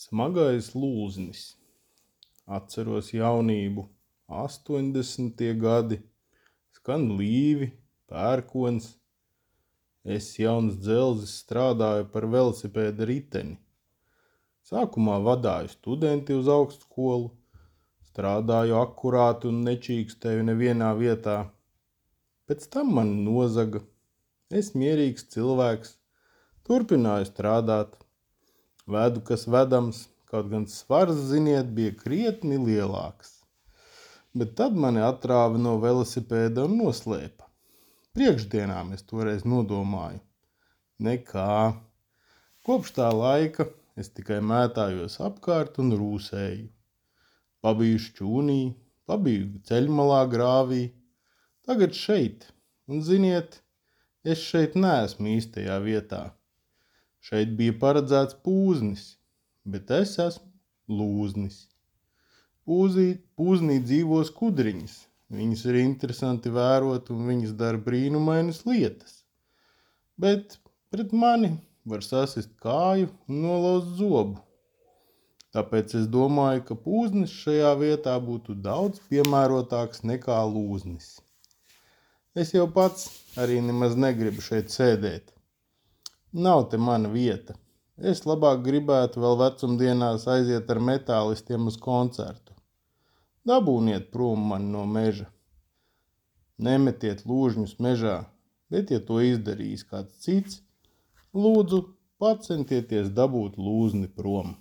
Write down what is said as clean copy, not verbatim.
Smagais lūznis. Atceros jaunību, 80. gadi. Skan līvi, pērkons. Es jauns dzelzis strādāju par velosipēda riteni. Sākumā vadāju studenti uz augstskolu. Strādāju akurāti un nečīkstēju nevienā vietā. Pēc tam man nozaga. Es mierīgs cilvēks. Turpināju strādāt. Vedu, kas vedams, kaut gan svars, ziniet, bija krietni lielāks. Bet tad mani atrāva no velosipēda un noslēpa. Priekšdienām es toreiz nodomāju. Nekā. Kopš tā laika es tikai mētājos apkārt un rūsēju. Pabiju šķūnī, pabiju ceļmalā grāvī. Tagad šeit. Un ziniet, es šeit neesmu īstajā vietā. Šeit bija paredzēts pūznis, bet es esmu lūznis. Pūznī dzīvo skudriņas. Viņas ir interesanti vērot un viņas dara brīnumainas lietas. Bet pret mani var sasist kāju un nolauzt zobu. Tāpēc es domāju, ka pūznis šajā vietā būtu daudz piemērotāks nekā lūznis. Es jau pats arī nemaz negribu šeit sēdēt. Nav te mana vieta. Es labāk gribētu vēl vecumdienās aiziet ar metālistiem uz koncertu. Dabūniet prom mani no meža. Nemetiet lūžņus mežā, bet ja to izdarīs kāds cits, lūdzu pacentieties dabūt lūzni prom.